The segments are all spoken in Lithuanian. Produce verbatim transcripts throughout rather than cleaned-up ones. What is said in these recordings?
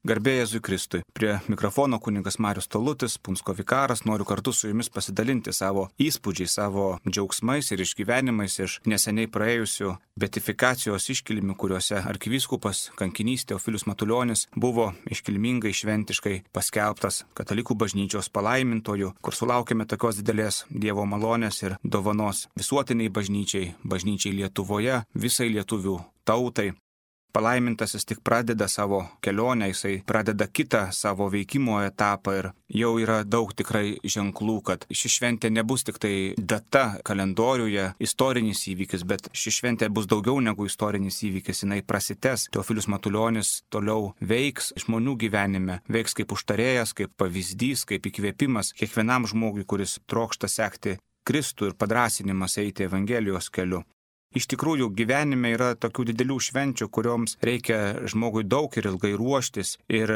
Garbė Jėzui Kristui. Prie mikrofono kunigas Marius Talutis, Punsko vikaras, noriu kartu su jumis pasidalinti savo įspūdžiais, savo džiaugsmais ir išgyvenimais iš neseniai praėjusių beatifikacijos iškilmių, kuriuose arkivyskupas kankinys Teofilius Matulionis buvo iškilmingai šventiškai paskelbtas katalikų bažnyčios palaimintoju, kur sulaukėme tokios didelės Dievo malonės ir dovanos visuotiniai bažnyčiai, bažnyčiai Lietuvoje, visai lietuvių tautai. Palaimintasis tik pradeda savo kelionę, jisai pradeda kitą savo veikimo etapą ir jau yra daug tikrai ženklų, kad ši šventė nebus tik tai data kalendoriuje, istorinis įvykis, bet ši šventė bus daugiau negu istorinis įvykis, jinai prasitęs. Teofilius Matulionis toliau veiks žmonių gyvenime, veiks kaip užtarėjas, kaip pavyzdys, kaip įkvėpimas kiekvienam žmogui, kuris trokšta sekti Kristų ir padrąsinimas eiti Evangelijos keliu. Iš tikrųjų, gyvenime yra tokių didelių švenčių, kurioms reikia žmogui daug ir ilgai ruoštis ir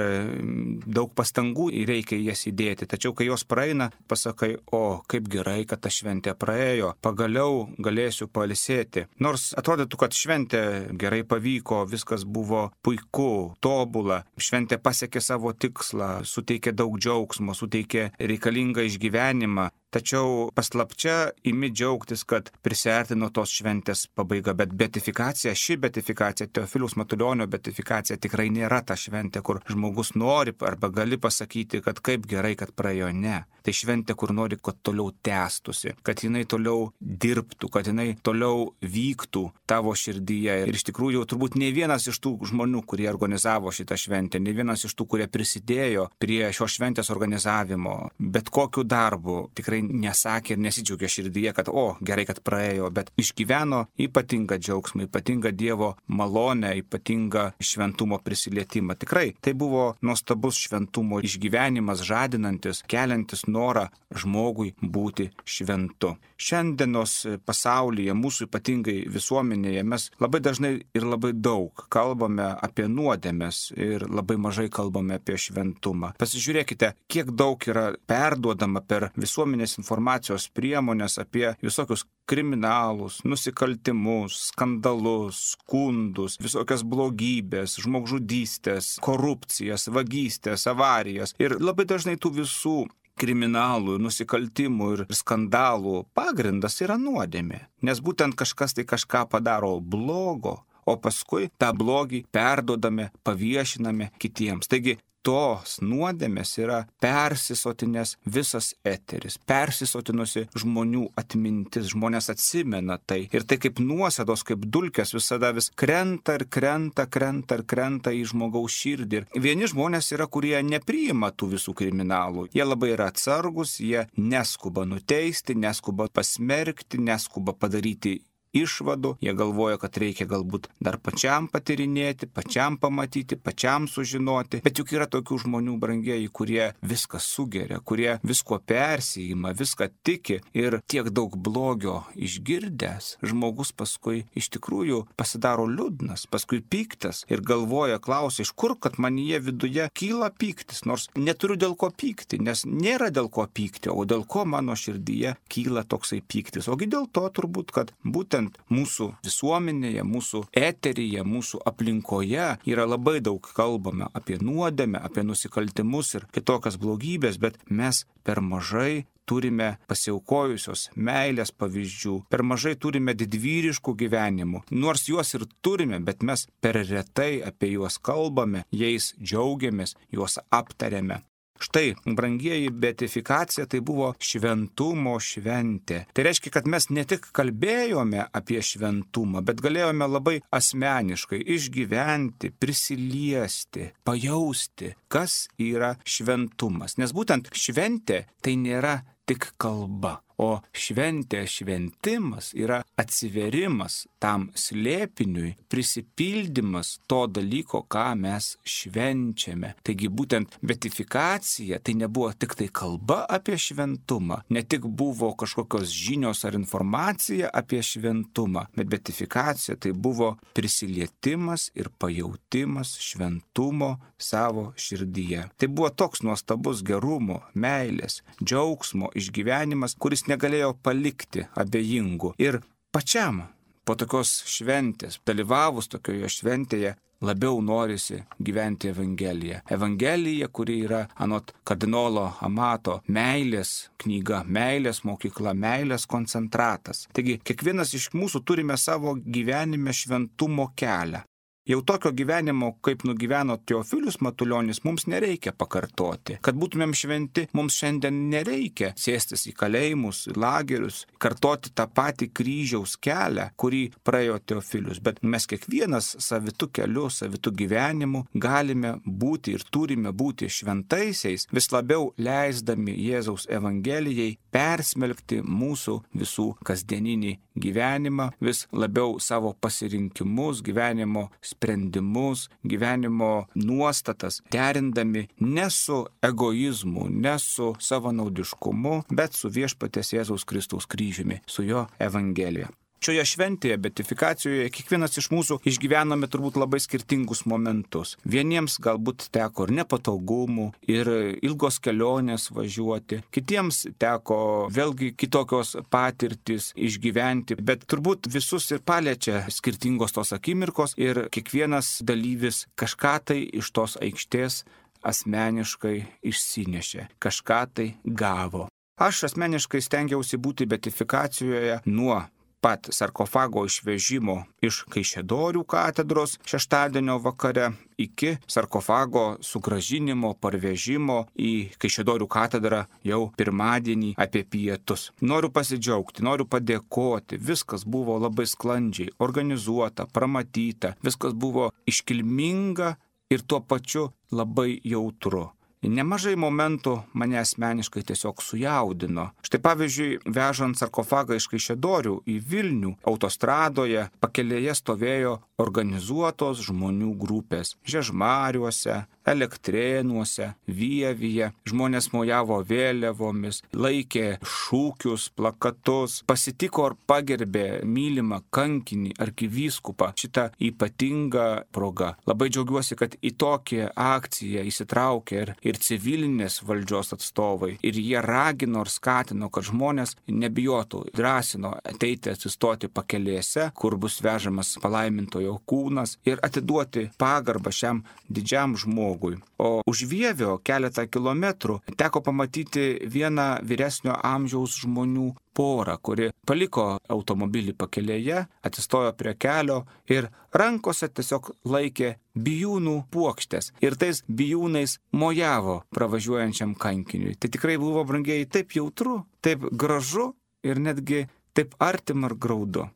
daug pastangų reikia jas įdėti. Tačiau, kai jos praeina, pasakai, o kaip gerai, kad ta šventė praėjo, pagaliau galėsiu pailsėti. Nors atrodytų, kad šventė gerai pavyko, viskas buvo puiku, tobula, šventė pasiekė savo tikslą, suteikė daug džiaugsmo, suteikė reikalingą išgyvenimą. Tačiau paslapčia imi džiaugtis, kad prisiartino tos šventės pabaiga, bet beatifikacija, ši beatifikacija, Teofiliaus Matulionio beatifikacija tikrai nėra ta šventė, kur žmogus nori arba gali pasakyti, kad kaip gerai, kad praėjo. Ne. Tai šventė, kur nori, kad toliau tęstusi, kad jinai toliau dirbtų, kad jinai toliau vyktų tavo širdyje. Ir iš tikrųjų turbūt ne vienas iš tų žmonių, kurie organizavo šitą šventę, ne vienas iš tų, kurie prisidėjo prie šios šventės organizavimo, bet kokiu darbu tikrai nesakė ir nesidžiaugė širdyje, kad o, gerai, kad praėjo, bet išgyveno ypatingą džiaugsmą, ypatingą Dievo malonę, ypatingą šventumo prisilietimą. Tikrai tai buvo nuostabus šventumo išgyvenimas, žadinantis, keliantis norą žmogui būti šventu. Šiandienos pasaulyje, mūsų ypatingai visuomenėje, mes labai dažnai ir labai daug kalbame apie nuodėmes ir labai mažai kalbame apie šventumą. Pasižiūrėkite, kiek daug yra perduodama per visuomenės informacijos priemonės apie visokius kriminalus, nusikaltimus, skandalus, skundus, visokias blogybės, žmogžudystės, korupcijas, vagystės, avarijas. Ir labai dažnai tų visų kriminalų, nusikaltimų ir skandalų pagrindas yra nuodėmė. Nes būtent kažkas tai kažką padaro blogo, o paskui tą blogį perduodame, paviešiname kitiems. Taigi, tos nuodėmės yra persisotinęs visas eteris, persisotinusi žmonių atmintis, žmonės atsimena tai. Ir tai kaip nuosėdos, kaip dulkės visada vis krenta ir krenta, krenta ir krenta į žmogaus širdį. Ir vieni žmonės yra, kurie nepriima tų visų kriminalų. Jie labai yra atsargus, jie neskuba nuteisti, neskuba pasmerkti, neskuba padaryti išvadų, jie galvoja, kad reikia galbūt dar pačiam patyrinėti, pačiam pamatyti, pačiam sužinoti, bet juk yra tokių žmonių, brangieji, kurie viską sugeria, kurie visko persijima, viską tiki ir tiek daug blogio išgirdęs, žmogus paskui iš tikrųjų pasidaro liūdnas, paskui piktas ir galvoja, klausia, iš kur, kad manyje viduje kyla pyktis, nors neturiu dėl ko pykti, nes nėra dėl ko pykti, o dėl ko mano širdyje kyla toksai pyktis. Ogi dėl to turbūt, kad būtent mūsų visuomenėje, mūsų eteryje, mūsų aplinkoje yra labai daug kalbama apie nuodėmę, apie nusikaltimus ir kitokias blogybės, bet mes per mažai turime pasiaukojusios meilės pavyzdžių, per mažai turime didvyriškų gyvenimų. Nors juos ir turime, bet mes per retai apie juos kalbame, jais džiaugiamės, juos aptariame. Štai, brangieji, beatifikacija tai buvo šventumo šventė. Tai reiškia, kad mes ne tik kalbėjome apie šventumą, bet galėjome labai asmeniškai išgyventi, prisiliesti, pajausti, kas yra šventumas. Nes būtent šventė tai nėra tik kalba. O šventė, šventimas yra atsiverimas tam slėpiniui, prisipildymas to dalyko, ką mes švenčiame. Taigi būtent beatifikacija tai nebuvo tik tai kalba apie šventumą, ne tik buvo kažkokios žinios ar informacija apie šventumą, bet beatifikacija tai buvo prisilietimas ir pajautimas šventumo savo širdyje. Tai buvo toks nuostabus gerumo, meilės, džiaugsmo išgyvenimas, kuris negalėjo palikti abejingų. Ir pačiam po tokios šventės, dalyvavus tokioje šventėje, labiau norisi gyventi Evangeliją. Evangelija, kuri yra anot kardinolo Amato meilės knyga, meilės mokykla, meilės koncentratas. Taigi, kiekvienas iš mūsų turime savo gyvenime šventumo kelią. Jau tokio gyvenimo, kaip nugyveno Teofilius Matulionis, mums nereikia pakartoti. Kad būtumėm šventi, mums šiandien nereikia sėstis į kalėjimus, į lagerius, kartoti tą patį kryžiaus kelią, kurį praėjo Teofilius. Bet mes kiekvienas savitų kelių, savitų gyvenimų galime būti ir turime būti šventaisiais, vis labiau leisdami Jėzaus Evangelijai persmelkti mūsų visų kasdieninį gyvenimą, vis labiau savo pasirinkimus, gyvenimo sprendimus, gyvenimo nuostatas, derindami ne su egoizmu, ne su savanaudiškumu, bet su viešpaties Jėzaus Kristaus kryžiumi, su jo Evangelija. Šioje šventėje, beatifikacijoje, kiekvienas iš mūsų išgyvenome turbūt labai skirtingus momentus. Vieniems galbūt teko ir nepatogumų, ir ilgos kelionės važiuoti, kitiems teko vėlgi kitokios patirtis išgyventi, bet turbūt visus ir paliečia skirtingos tos akimirkos ir kiekvienas dalyvis kažką tai iš tos aikštės asmeniškai išsinešė, kažką tai gavo. Aš asmeniškai stengiausi būti beatifikacijoje nuo pat sarkofago išvežimo iš Kaišiadorių katedros šeštadienio vakare iki sarkofago sugrąžinimo, parvežimo į Kaišiadorių katedrą jau pirmadienį apie pietus. Noriu pasidžiaugti, noriu padėkoti, viskas buvo labai sklandžiai, organizuota, pramatyta, viskas buvo iškilminga ir tuo pačiu labai jautru. Nemažai momentų mane asmeniškai tiesiog sujaudino. Štai pavyzdžiui, vežant sarkofagą iš Kaišiadorių į Vilnių, autostradoje pakelėje stovėjo organizuotos žmonių grupės. Žiežmariuose, Elektrėnuose, Vievyje. Žmonės mojavo vėliavomis, laikė šūkius, plakatus, pasitiko ir pagerbė mylimą kankinį arkivyskupą šitą ypatingą progą. Labai džiaugiuosi, kad į tokią akciją įsitraukė ir, ir civilinės valdžios atstovai. Ir jie ragino ir skatino, kad žmonės nebijotų, drąsino ateiti atsistoti pakelėse, kur bus vežamas palaimintojo kūnas ir atiduoti pagarbą šiam didžiam žmogui. O už Vievio keletą kilometrų teko pamatyti vieną vyresnio amžiaus žmonių porą, kuri paliko automobilį pakelėje, atsistojo prie kelio ir rankose tiesiog laikė bijūnų puokštės. Ir tais bijūnais mojavo pravažiuojančiam kankiniui. Tai tikrai buvo, brangieji, taip jautru, taip gražu ir netgi taip artima ir graudu.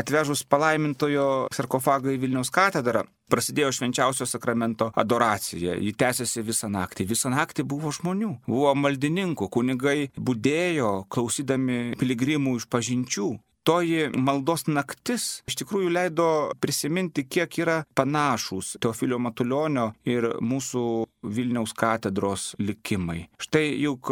Atvežus palaimintojo sarkofagą į Vilniaus katedrą, prasidėjo švenčiausio sakramento adoracija. Ji tęsiasi visą naktį. Visą naktį buvo žmonių, buvo maldininkų, kunigai budėjo, klausydami piligrimų išpažinčių. Toji maldos naktis iš tikrųjų leido prisiminti, kiek yra panašūs Teofilio Matulionio ir mūsų Vilniaus katedros likimai. Štai juk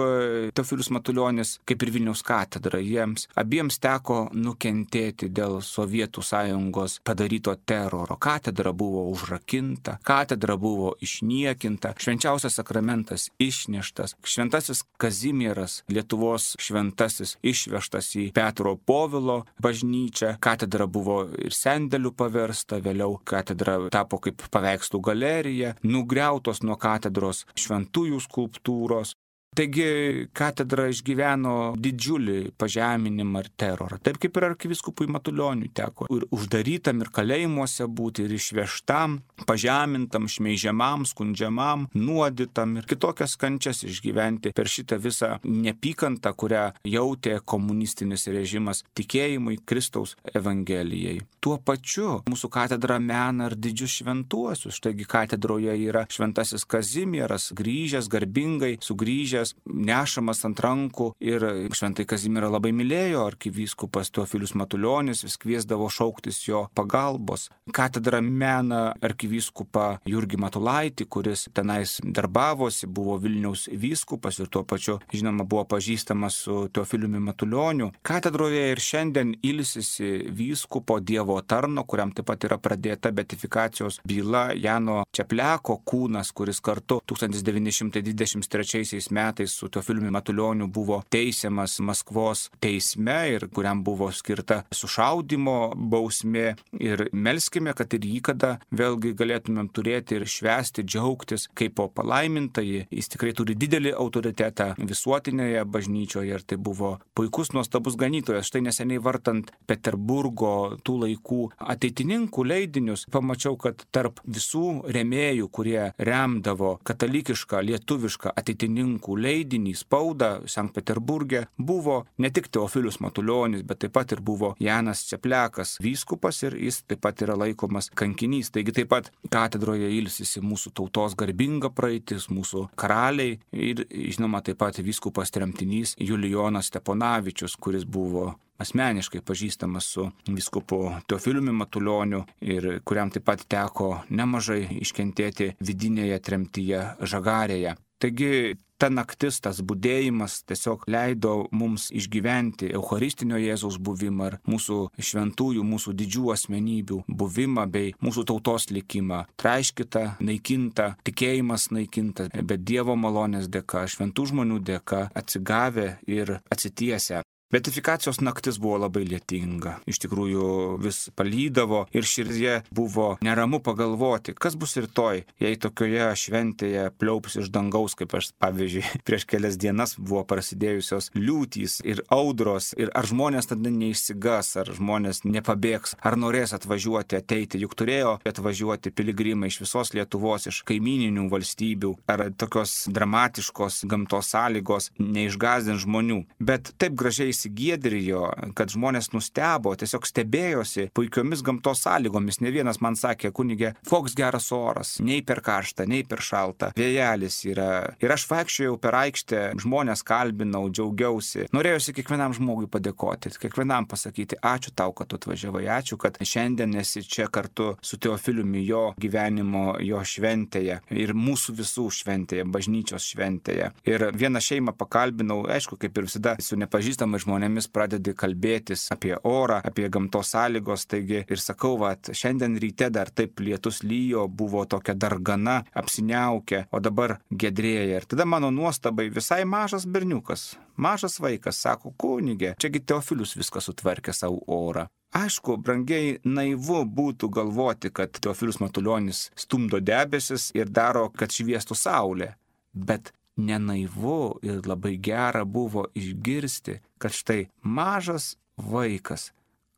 Teofilius Matulionis, kaip ir Vilniaus katedra, jiems abiems teko nukentėti dėl Sovietų sąjungos padaryto teroro. Katedra buvo užrakinta, katedra buvo išniekinta, švenčiausias sakramentas išneštas, šventasis Kazimieras, Lietuvos šventasis, išvežtas į Petro Povilo bažnyčią, katedra buvo ir sendeliu paversta, vėliau katedra tapo kaip paveikslų galerija, nugriautos nuo katedros šventųjų skulptūros. Taigi katedra išgyveno didžiulį pažeminimą ir terorą. Taip kaip ir arkivyskupui Matulioniui teko ir uždarytam, ir kalėjimuose būti, ir išvežtam, pažemintam, šmeižiamam, skundžiamam, nuodytam ir kitokias kančias išgyventi per šitą visą nepykantą, kurią jautė komunistinis režimas tikėjimui Kristaus Evangelijai. Tuo pačiu mūsų katedra mena ir didžius šventuosius. Štaigi katedroje yra šventasis Kazimieras, grįžęs, garbingai sugrįžęs, nešamas ant rankų, ir šventai Kazimierą labai mylėjo arkivyskupas Teofilius Matulionis, vis kviesdavo šauktis jo pagalbos. Katedra mena arkivyskupą Jurgį Matulaitį, kuris tenais darbavosi, buvo Vilniaus vyskupas ir tuo pačiu, žinoma, buvo pažįstamas su Teofiliumi Matulioniu. Katedroje ir šiandien ilsisi vyskupo Dievo tarno, kuriam taip pat yra pradėta beatifikacijos byla, Jano Čepleko kūnas, kuris kartu tūkstantis devyni šimtai dvidešimt trečiaisiais metais metais su Teofiliumi Matulioniu buvo teisiamas Maskvos teisme ir kuriam buvo skirta sušaudimo bausmė. Ir melskime, kad ir jį kada vėlgi galėtumėm turėti ir švęsti, džiaugtis kaip po palaimintąjį. Jis tikrai turi didelį autoritetą visuotinėje bažnyčioje ir tai buvo puikus, nuostabus ganytojas. Štai neseniai vartant Peterburgo tų laikų ateitininkų leidinius, pamačiau, kad tarp visų rėmėjų, kurie remdavo katalikišką, lietuvišką ateitininkų leidinį, spaudą Sankt Peterburge, buvo ne tik Teofilius Matulionis, bet taip pat ir buvo Janas Ceplekas, vyskupas, ir jis taip pat yra laikomas kankinys. Taigi taip pat katedroje ilsisi mūsų tautos garbinga praeitis, mūsų karaliai ir, žinoma, taip pat vyskupas tremtinys Julijonas Steponavičius, kuris buvo asmeniškai pažįstamas su vyskupu Teofiliumi Matulioniu ir kuriam taip pat teko nemažai iškentėti vidinėje tremtyje Žagarėje. Taigi ta naktis, tas budėjimas tiesiog leido mums išgyventi Eucharistinio Jėzaus buvimą ir mūsų šventųjų, mūsų didžių asmenybių buvimą bei mūsų tautos likimą. Traiškita, naikinta, tikėjimas naikintas, bet Dievo malonės dėka, šventų žmonių dėka atsigavę ir atsitiesę. Beatifikacijos naktis buvo labai lietinga, iš tikrųjų vis palydavo ir širdyje buvo neramu pagalvoti, kas bus rytoj, jei tokioje šventėje pliaups iš dangaus, kaip aš, pavyzdžiui, prieš kelias dienas buvo prasidėjusios liūtys ir audros, ir ar žmonės tada neišsigas, ar žmonės nepabėgs, ar norės atvažiuoti, ateiti, juk turėjo atvažiuoti piligrimai iš visos Lietuvos, iš kaimininių valstybių, ar tokios dramatiškos gamtos sąlygos neišgąsdins žmonių, bet taip gražiai įsigiedrijo, kad žmonės nustebo, tiesiog stebėjosi puikiomis gamtos sąlygomis. Ne vienas man sakė, kunigė, koks geras oras, nei per karšta, nei per šalta, vėjelis yra. Ir aš vaikščiojau per aikštę, žmonės kalbinau, džiaugiausi. Norėjosi kiekvienam žmogui padėkoti, kiekvienam pasakyti, ačiū tau, kad tu atvažiavai, ačiū, kad šiandien esi čia kartu su Teofiliumi jo gyvenimo, jo šventėje ir mūsų visų šventėje, bažnyčios šventėje. Ir vieną šeimą pakalbinau, aišku, kaip ir visada su nepažįstamais žmonėmis pradedi kalbėtis apie orą, apie gamtos sąlygos, taigi ir sakau, vat, šiandien ryte dar taip lietus lyjo, buvo tokia dargana, apsiniaukę, o dabar gedrėja. Ir tada mano nuostabai visai mažas berniukas, mažas vaikas, sako, kunigė, čiagi Teofilius viską sutvarkė savo orą. Aišku, brangiai, naivu būtų galvoti, kad Teofilius Matulionis stumdo debesis ir daro, kad šviestų saulė, bet nenaivu ir labai gera buvo išgirsti, kad štai mažas vaikas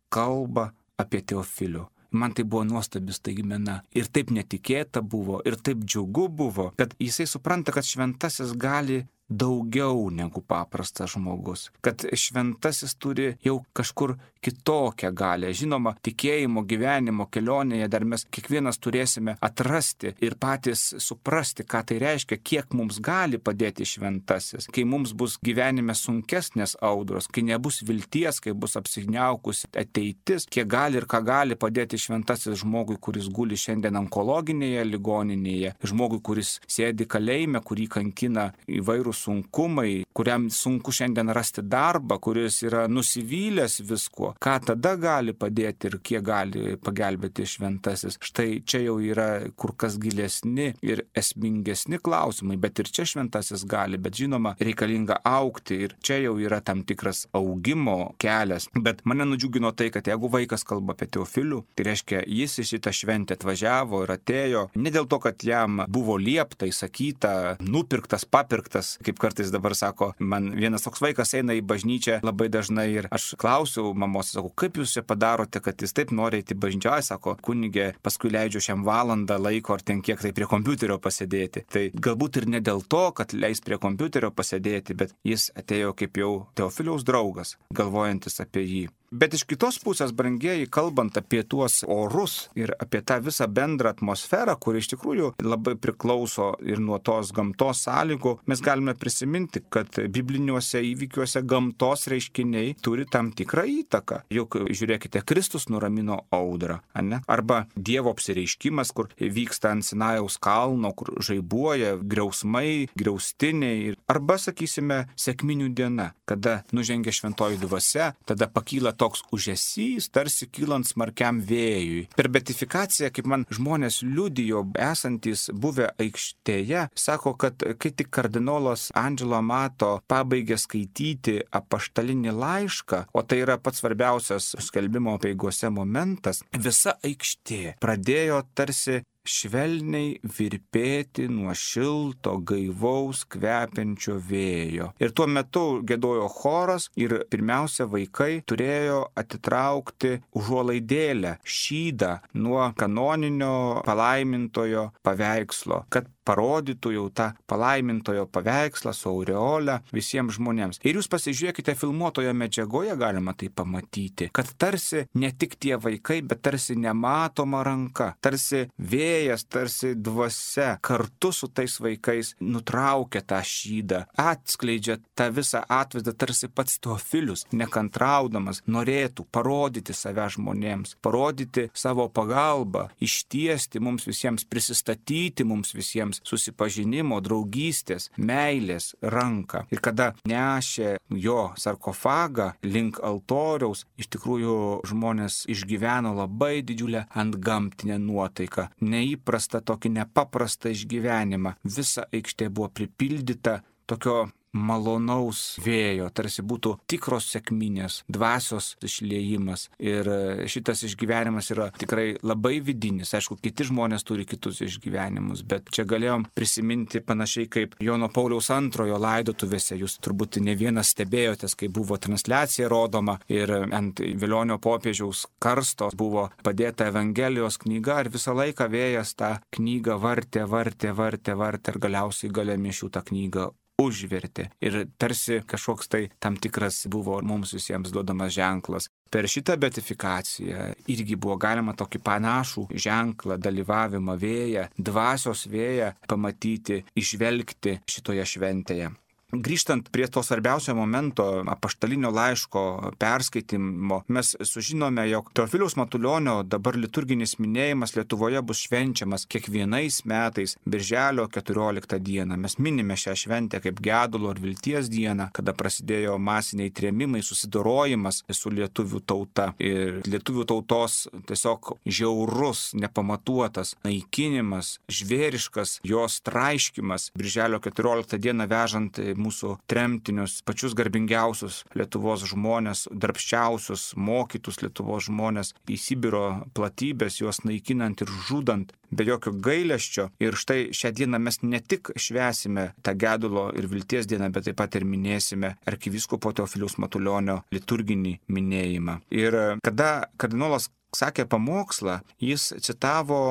kalba apie Teofilių. Man tai buvo nuostabi staigmena. Ir taip netikėta buvo, ir taip džiugu buvo, kad jisai supranta, kad šventasis gali daugiau negu paprastas žmogus. Kad šventasis turi jau kažkur kitokią galę. Žinoma, tikėjimo gyvenimo kelionėje dar mes kiekvienas turėsime atrasti ir patys suprasti, ką tai reiškia, kiek mums gali padėti šventasis. Kai mums bus gyvenime sunkesnės audros, kai nebus vilties, kai bus apsigniaukusi ateitis, kiek gali ir ką gali padėti šventasis žmogui, kuris guli šiandien onkologinėje ligoninėje, žmogui, kuris sėdi kalėjime, kurį kankina įvairūs sunkumai, kuriam sunku šiandien rasti darbą, kuris yra nusivylęs viskuo, ką tada gali padėti ir kiek gali pagelbėti šventasis. Štai čia jau yra kur kas gilesni ir esmingesni klausimai, bet ir čia šventasis gali, bet žinoma, reikalinga augti ir čia jau yra tam tikras augimo kelias. Bet mane nudžiugino tai, kad jeigu vaikas kalba apie Teofilių, tai reiškia, jis į šitą šventę atvažiavo ir atėjo ne dėl to, kad jam buvo liepta, įsakyta, nupirktas, papirktas, kaip kartais dabar sako, man vienas toks vaikas eina į bažnyčią labai dažnai ir aš klausiau mamos, sakau, kaip jūs čia padarote, kad jis taip nori eiti į bažnyčią, sako, kunigė, paskui leidžiu šiam valandą laiko ar ten kiek tai prie kompiuterio pasėdėti. Tai galbūt ir ne dėl to, kad leis prie kompiuterio pasėdėti, bet jis atėjo kaip jau Teofiliaus draugas, galvojantis apie jį. Bet iš kitos pusės, brangieji, kalbant apie tuos orus ir apie tą visą bendrą atmosferą, kuri iš tikrųjų labai priklauso ir nuo tos gamtos sąlygų, mes galime prisiminti, kad bibliniuose įvykiuose gamtos reiškiniai turi tam tikrą įtaką. Juk žiūrėkite, Kristus nuramino audrą, ane? Arba Dievo apsireiškimas, kur vyksta ant Sinajaus kalno, kur žaibuoja griausmai, griaustiniai. Arba, sakysime, sekminių diena, kada nužengia šventoji dvasia, tada pakyla toks užesys, tarsi kylant smarkiam vėjui. Per beatifikaciją, kaip man žmonės liudijo, esantis buvę aikštėje, sako, kad kai tik kardinolas Angelo Amato pabaigė skaityti apaštalinį laišką, o tai yra pats svarbiausias skelbimo apeigose momentas, visa aikštė pradėjo tarsi švelniai virpėti nuo šilto, gaivaus, kvepiančio vėjo. Ir tuo metu giedojo choras ir pirmiausia vaikai turėjo atitraukti užuolaidėlę, šydą nuo kanoninio palaimintojo paveikslo, kad parodytų jau tą palaimintojo paveikslą su aureole visiems žmonėms. Ir jūs pasižiūrėkite filmuotoje medžiagoje, galima tai pamatyti, kad tarsi ne tik tie vaikai, bet tarsi nematoma ranka, tarsi vėjas, tarsi dvasia kartu su tais vaikais nutraukia tą šydą, atskleidžia tą visą atvaizdą, tarsi pats Teofilius, nekantraudamas, norėtų parodyti save žmonėms, parodyti savo pagalbą, ištiesti mums visiems, prisistatyti mums visiems susipažinimo, draugystės, meilės ranką. Ir kada nešė jo sarkofagą link altoriaus, iš tikrųjų žmonės išgyveno labai didžiulę antgamtinę nuotaiką, neįprastą tokį nepaprastą išgyvenimą. Visa aikštė buvo pripildyta tokio malonaus vėjo, tarsi būtų tikros sekminės, dvasios išliejimas. Ir šitas išgyvenimas yra tikrai labai vidinis. Aišku, kiti žmonės turi kitus išgyvenimus, bet čia galėjom prisiminti panašiai kaip Jono Pauliaus antrojo laidotuvėse. Jūs turbūt ne vienas stebėjotės, kai buvo transliacija rodoma ir ant Velionio popiežiaus karsto buvo padėta Evangelijos knyga ir visą laiką vėjas tą knygą vartė, vartė, vartė, vartė ir galiausiai gale mišių tą knygą užvertė. Ir tarsi kažkoks tai tam tikras buvo mums visiems duodamas ženklas. Per šitą beatifikaciją irgi buvo galima tokį panašų ženklą, dalyvavimą vėją, dvasios vėją pamatyti, išvelgti šitoje šventėje. Grįžtant prie to svarbiausio momento, apaštalinio laiško perskaitimo, mes sužinome, jog Teofiliaus Matulionio dabar liturginis minėjimas Lietuvoje bus švenčiamas kiekvienais metais birželio keturioliktą dieną. Mes minime šią šventę kaip gedulo ir vilties dieną, kada prasidėjo masiniai trėmimai, susidorojimas su lietuvių tauta. Ir lietuvių tautos tiesiog žiaurus, nepamatuotas naikinimas, žvėriškas jos traiškimas birželio keturioliktą dieną vežant mūsų tremtinius, pačius garbingiausius Lietuvos žmonės, darbščiausius, mokytus Lietuvos žmonės į Sibiro platybės, juos naikinant ir žudant be jokio gailesčio. Ir štai šią dieną mes ne tik švęsime tą gedulo ir vilties dieną, bet taip pat ir minėsime arkivyskupo Teofiliaus Matulionio liturginį minėjimą. Ir kada kardinolas sakė pamokslą, jis citavo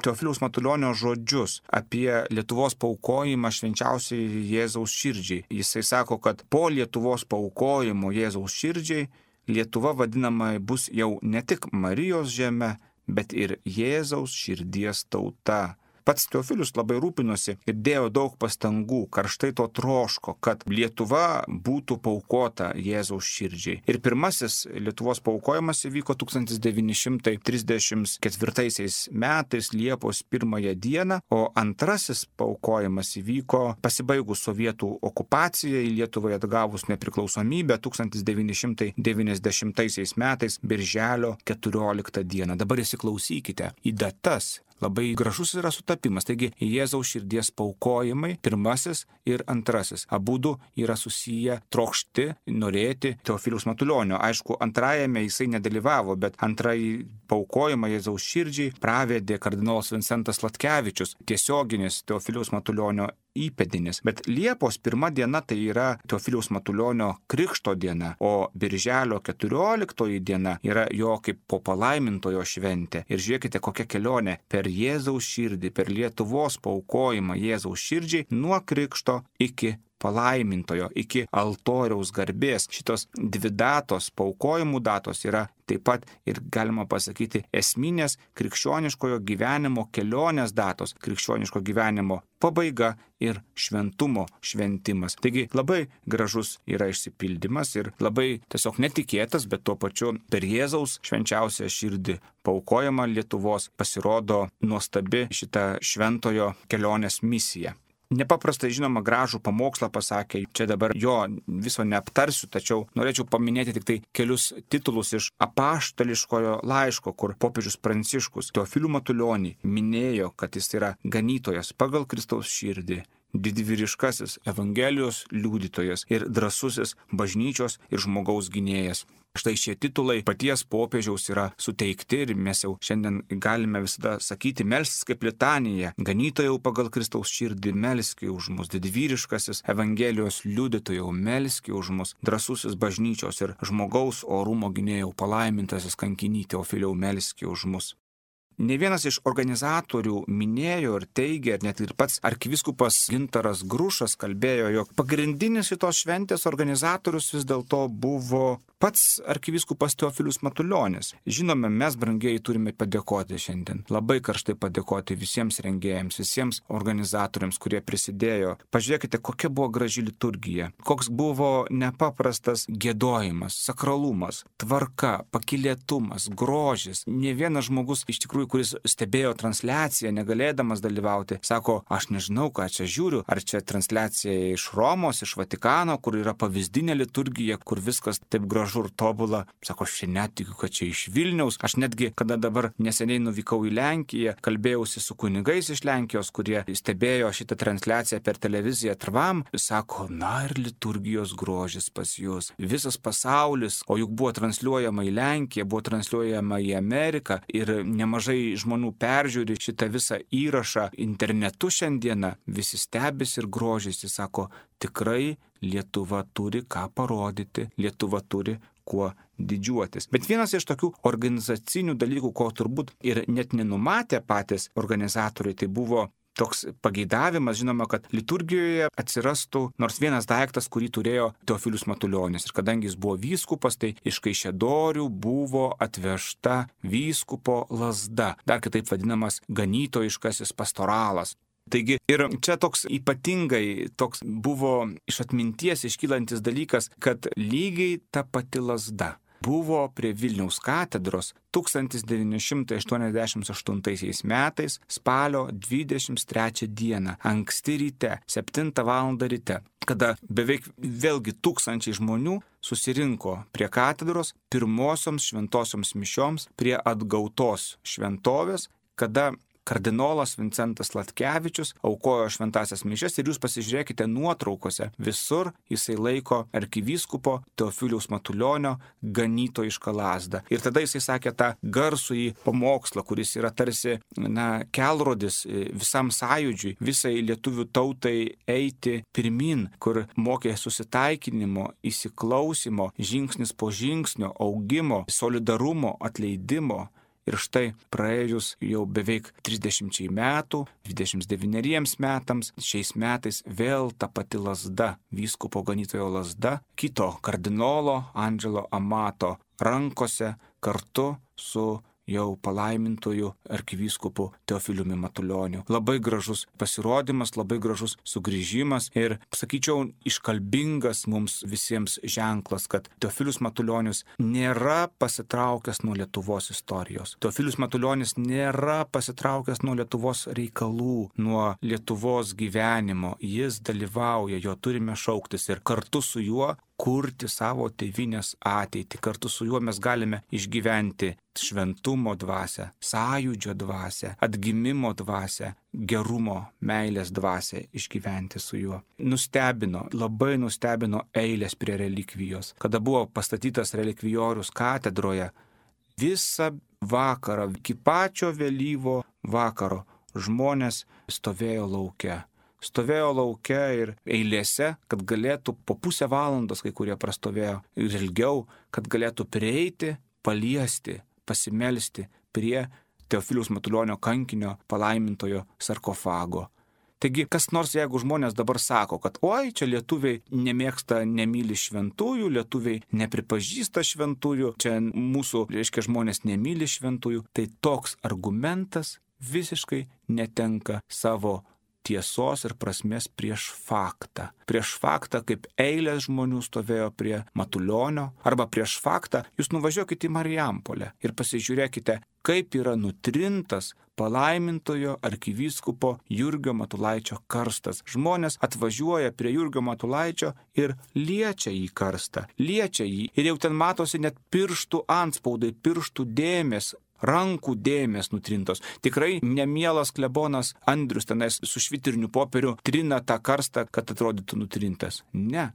Teofiliaus Matulionio žodžius apie Lietuvos paaukojimą švenčiausiai Jėzaus širdžiai. Jisai sako, kad po Lietuvos paaukojimo Jėzaus širdžiai Lietuva vadinama bus jau ne tik Marijos žeme, bet ir Jėzaus širdies tauta. Pats Teofilius labai rūpinosi ir dėjo daug pastangų, karštai to troško, kad Lietuva būtų paaukota Jėzaus širdžiai. Ir pirmasis Lietuvos paaukojimas įvyko tūkstantis devyni šimtai trisdešimt ketvirtaisiais metais Liepos pirmąją dieną, o antrasis paaukojimas įvyko pasibaigus sovietų okupacijai, Lietuvai atgavus nepriklausomybę tūkstantis devyni šimtai devyniasdešimtaisiais metais birželio keturioliktą dieną. Dabar įsiklausykite į datas. Labai gražus yra sutapimas. Taigi Jėzaus širdies paaukojimai, pirmasis ir antrasis. Abudu yra susiję trokšti, norėti Teofiliaus Matulionio. Aišku, antrajame jisai nedalyvavo, bet antrąjį paaukojimą Jėzaus širdžiai pravedė kardinolas Vincentas Latkevičius, tiesioginis Teofiliaus Matulionio įpėdinis. Bet Liepos pirma diena tai yra Teofiliaus Matulionio krikšto diena, o birželio keturioliktoji diena yra jo kaip po palaimintojo šventė. Ir žiūrėkite, kokia kelionė per Jėzaus širdį, per Lietuvos paaukojimą Jėzaus širdžiai nuo krikšto iki palaimintojo, iki altoriaus garbės. Šitos dvi datos, paaukojimų datos yra taip pat ir galima pasakyti esminės krikščioniškojo gyvenimo kelionės datos, krikščioniško gyvenimo pabaiga ir šventumo šventimas. Taigi labai gražus yra išsipildymas ir labai tiesiog netikėtas, bet tuo pačiu per Jėzaus švenčiausią širdį paaukojama Lietuvos pasirodo nuostabi šita šventojo kelionės misija. nepaprastai žinoma gražų pamokslą pasakė. Čia dabar jo viso neaptarsiu, tačiau norėčiau paminėti tik tai kelius titulus iš apaštališkojo laiško, kur popiežius Pranciškus Teofilių Matulionį minėjo, kad jis yra ganytojas pagal Kristaus širdį, didvyriškasis Evangelijos liudytojas ir drąsusis bažnyčios ir žmogaus gynėjas. Štai šie titulai paties popiežiaus yra suteikti ir mes jau šiandien galime visada sakyti, melstis kaip litanija, ganytojau pagal Kristaus širdį, melski už mus, didvyriškasis Evangelijos liudytojau, melski už mus, drąsusis bažnyčios ir žmogaus orumo gynėjau, palaimintasis kankiny Teofiliau, melski už mus. Ne vienas iš organizatorių minėjo ir teigė, ir net ir pats arkivyskupas Gintaras Grušas kalbėjo, jog pagrindinis šitos šventės organizatorius vis dėlto buvo pats arkivyskupas Teofilius Matulionis. Žinome, mes, brangieji, turime padėkoti šiandien. Labai karštai padėkoti visiems rengėjams, visiems organizatoriams, kurie prisidėjo. Pažiūrėkite, kokia buvo graži liturgija, koks buvo nepaprastas giedojimas, sakralumas, tvarka, pakylėtumas, grožis. Ne vienas žmogus iš tikrųjų, kuris stebėjo transliaciją, negalėdamas dalyvauti, sako, aš nežinau, ką čia žiūriu, ar čia transliacija iš Romos, iš Vatikano, kur yra pavyzdinė liturgija, kur viskas taip gražu ir tobula. Sako, aš netikiu, kad čia iš Vilniaus. Aš netgi, kada dabar neseniai nuvykau į Lenkiją, kalbėjausi su kunigais iš Lenkijos, kurie stebėjo šitą transliaciją per televiziją Trvam, sako, na ir liturgijos grožis pas jūs. Visas pasaulis, o juk buvo transliuojama į Lenkiją, buvo transliuojama į Ameriką ir nemažai žmonių peržiūri šitą visą įrašą internetu šiandieną, visi stebisi ir grožisi, sako, tikrai Lietuva turi ką parodyti, Lietuva turi kuo didžiuotis. Bet vienas iš tokių organizacinių dalykų, ko turbūt ir net nenumatė patys organizatoriai, tai buvo toks pageidavimas, žinoma, kad liturgijoje atsirastų nors vienas daiktas, kurį turėjo Teofilius Matulionis. Ir kadangi jis buvo vyskupas, tai iš Kaišiadorių buvo atvežta vyskupo lazda, dar kitaip vadinamas ganytojiškasis pastoralas. Taigi ir čia toks ypatingai toks buvo iš atminties iškylantis dalykas, kad lygiai ta pati lazda buvo prie Vilniaus katedros tūkstantis devyni šimtai aštuoniasdešimt aštuntaisiais metais spalio dvidešimt trečią dieną, anksti ryte, septintą valandą ryte, kada beveik vėlgi tūkstančiai žmonių susirinko prie katedros pirmosioms šventosioms mišioms prie atgautos šventovės, kada kardinolas Vincentas Latkevičius aukojo šventasias mišias ir jūs pasižiūrėkite nuotraukose, visur jisai laiko arkivyskupo Teofiliaus Matulionio ganytojišką lazdą. Ir tada jisai sakė tą garsųjį pamokslą, kuris yra tarsi na, kelrodis visam sąjūdžiui, visai lietuvių tautai eiti pirmin, kur mokė susitaikinimo, įsiklausimo, žingsnis po žingsnio, augimo, solidarumo, atleidimo. Ir štai praėjus jau beveik trisdešimčiai metų, dvidešimt devyneriems metams, šiais metais vėl ta pati lazda, vyskupo ganytojo lazda, kito kardinolo Andželo Amato rankose kartu su jau palaimintojų arkivyskupu Teofiliumi Matulioniu. Labai gražus pasirodymas, labai gražus sugrįžimas ir, sakyčiau, iškalbingas mums visiems ženklas, kad Teofilius Matulionis nėra pasitraukęs nuo Lietuvos istorijos. Teofilius Matulionis nėra pasitraukęs nuo Lietuvos reikalų, nuo Lietuvos gyvenimo. Jis dalyvauja, jo turime šauktis ir kartu su juo kurti savo tėvynės ateitį. Kartu su juo mes galime išgyventi šventumo dvasią, sąjūdžio dvasią, atgimimo dvasią, gerumo, meilės dvasią išgyventi su juo. Nustebino, labai nustebino eilės prie relikvijos. Kada buvo pastatytas relikvijorius katedroje, visą vakarą, iki pačio vėlyvo vakaro žmonės stovėjo lauke. Stovėjo lauke ir eilėse, kad galėtų po pusę valandos, kai kurie prastovėjo ir ilgiau, kad galėtų prieiti, paliesti, pasimelsti prie Teofiliaus Matulionio kankinio palaimintojo sarkofago. Taigi, kas nors, jeigu žmonės dabar sako, kad oi, čia lietuviai nemėgsta, nemyli šventųjų, lietuviai nepripažįsta šventųjų, čia mūsų, reiškia, žmonės nemyli šventųjų, tai toks argumentas visiškai netenka savo tiesos ir prasmės prieš faktą. Prieš faktą, kaip eilės žmonių stovėjo prie Matulionio, arba prieš faktą, jūs nuvažiuokite į Marijampolę ir pasižiūrėkite, kaip yra nutrintas palaimintojo arkivyskupo Jurgio Matulaičio karstas. Žmonės atvažiuoja prie Jurgio Matulaičio ir liečia jį karstą, liečia jį. Ir jau ten matosi net pirštų antspaudai, pirštų dėmės, rankų dėmės nutrintos. Tikrai nemielas klebonas Andrius tenais su švitriniu popieriu trina tą karstą, kad atrodytų nutrintas. Ne.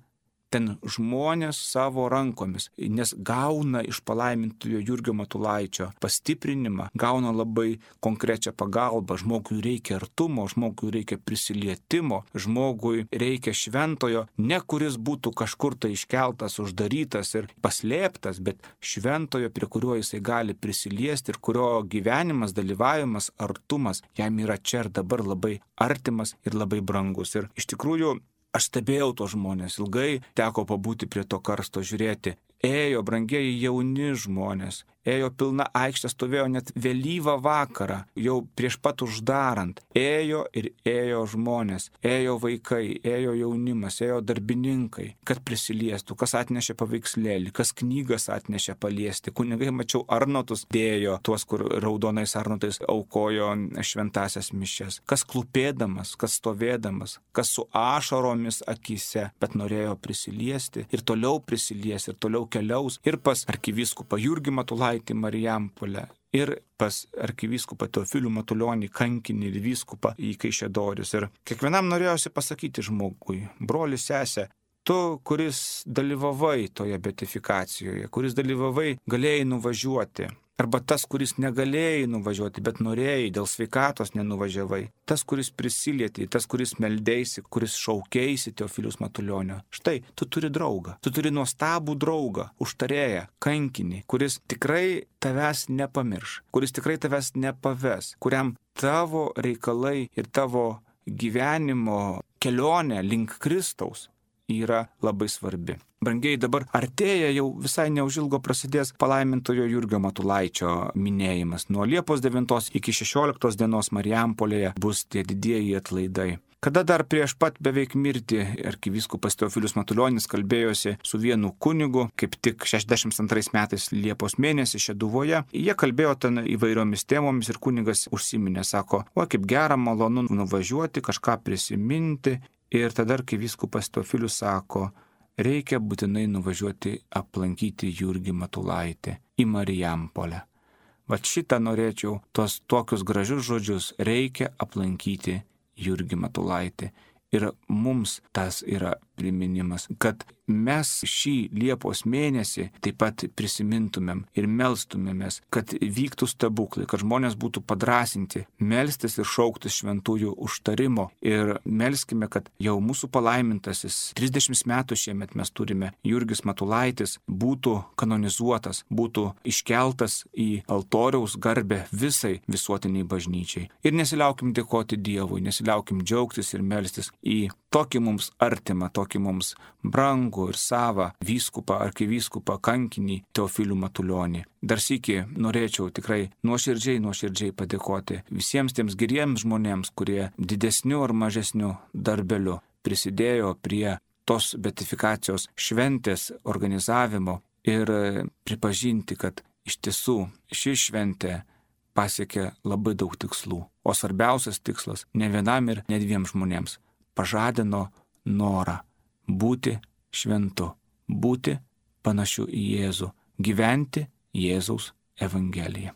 Ten žmonės savo rankomis, nes gauna iš palaimintojo Jurgio Matulaičio pastiprinimą, gauna labai konkrečią pagalbą. Žmogui reikia artumo, žmogui reikia prisilietimo, žmogui reikia šventojo, ne kuris būtų kažkur tai iškeltas, uždarytas ir paslėptas, bet šventojo, prie kurio jisai gali prisiliesti ir kurio gyvenimas, dalyvavimas, artumas jam yra čia ir dabar labai artimas ir labai brangus. Ir iš tikrųjų, aš stebėjau tos žmonės, ilgai teko pabūti prie to karsto, žiūrėti. Ėjo brangieji jauni žmonės, ėjo pilna aikštė, stovėjo net vėlyvą vakarą, jau prieš pat uždarant. Ėjo ir ėjo žmonės, ėjo vaikai, ėjo jaunimas, ėjo darbininkai, kad prisiliestų, kas atnešė paveikslėlį, kas knygas atnešė paliesti. Kunigai, mačiau, arnotus dėjo, tuos, kur raudonais arnotais aukojo šventasias mišias. Kas klūpėdamas, kas stovėdamas, kas su ašaromis akise, bet norėjo prisiliesti ir toliau prisiliesti, ir toliau keliaus ir pas arkivyskupą Jurgį Matulaitį Marijampolę, ir pas arkivyskupą Teofilių Matulionį kankinį ir vyskupą į Kaišiadorius. Ir kiekvienam norėjosi pasakyti žmogui: broli, sesė, tu, kuris dalyvavai toje beatifikacijoje, kuris dalyvavai, galėjai nuvažiuoti. Arba tas, kuris negalėjai nuvažiuoti, bet norėjai, dėl sveikatos nenuvažiavai. Tas, kuris prisilietė, tas, kuris meldėsi, kuris šaukėsi Teofiliaus Matulionio. Štai, tu turi draugą. Tu turi nuostabų draugą, užtarėją, kankinį, kuris tikrai tavęs nepamirš, kuris tikrai tavęs nepaves, kuriam tavo reikalai ir tavo gyvenimo kelionė link Kristaus yra labai svarbi. Brangiai, dabar artėja, jau visai neužilgo prasidės palaimintojo Jurgio Matulaičio minėjimas. Nuo Liepos devintos iki šešioliktos dienos Marijampolėje bus tie didieji atlaidai. Kada dar prieš pat beveik mirtį arkivyskupas Teofilius Matulionis kalbėjosi su vienu kunigu, kaip tik šešiasdešimt antrais metais Liepos mėnesį Šeduvoje. Jie kalbėjo ten įvairiomis temomis ir kunigas užsiminė, sako: o kaip gera, malonu nuvažiuoti, kažką prisiminti. Ir tada arkivyskupas Teofilius sako: reikia būtinai nuvažiuoti aplankyti Jurgį Matulaitį į Marijampolę. Vat šitą norėčiau, tos tokius gražius žodžius, reikia aplankyti Jurgį Matulaitį. Ir mums tas yra priminimas, kad mes šį Liepos mėnesį taip pat prisimintumėm ir melstumėmės, kad vyktų stebuklai, kad žmonės būtų padrasinti, melstis ir šauktis šventųjų užtarimo. Ir melskime, kad jau mūsų palaimintasis, trisdešimt metų šiemet mes turime, Jurgis Matulaitis, būtų kanonizuotas, būtų iškeltas į altoriaus garbę visai visuotiniai bažnyčiai. Ir nesiliaukim dėkoti Dievui, nesiliaukim džiaugtis ir melstis į tokį mums artimą, tokį mums brangų ir savą vyskupą, arkivyskupą, kankinį Teofilių Matulionį. Dar sykį norėčiau tikrai nuoširdžiai, nuoširdžiai padėkoti visiems tiems geriems žmonėms, kurie didesniu ar mažesniu darbeliu prisidėjo prie tos beatifikacijos šventės organizavimo ir pripažinti, kad iš tiesų ši šventė pasiekė labai daug tikslų. O svarbiausias tikslas ne vienam ir ne dviem žmonėms pažadino norą būti šventu, būti panašiu į Jėzų, gyventi Jėzaus Evangeliją.